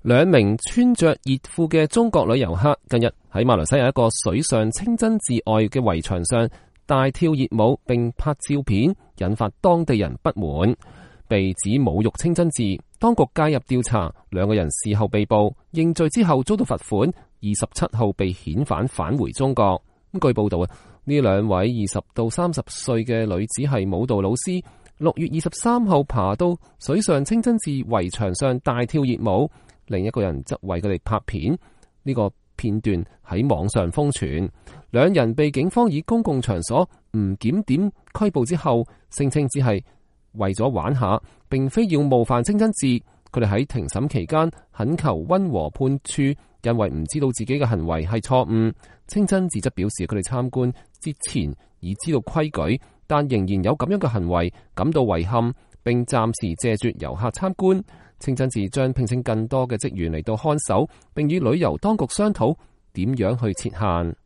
兩名穿着熱褲嘅中國旅遊客近日喺馬來西亞一個水上清真寺外嘅圍牆上大跳熱舞並拍照片，引發當地人不滿，被指侮辱清真寺。當局介入調查，兩個人事後被捕，認罪之後遭到罰款，27號被遣返回中國。據報道呢兩位20到30歲嘅女子係舞蹈老師，6月23號爬到水上清真寺圍牆上大跳熱舞。另一個人則為佢哋拍片，呢個片段喺網上瘋傳。兩人被警方以公共場所唔檢點拘捕之後，聲稱只係為咗玩下，並非要冒犯清真寺。佢哋喺庭審期間懇求溫和判處，因為唔知道自己嘅行為係錯誤。清真寺則表示佢哋參觀之前已知道規矩，但仍然有咁樣嘅行為，感到遺憾，並暫時謝絕遊客參觀。清真寺將聘請更多嘅職員嚟到看守，並與旅遊當局商討點樣去設限。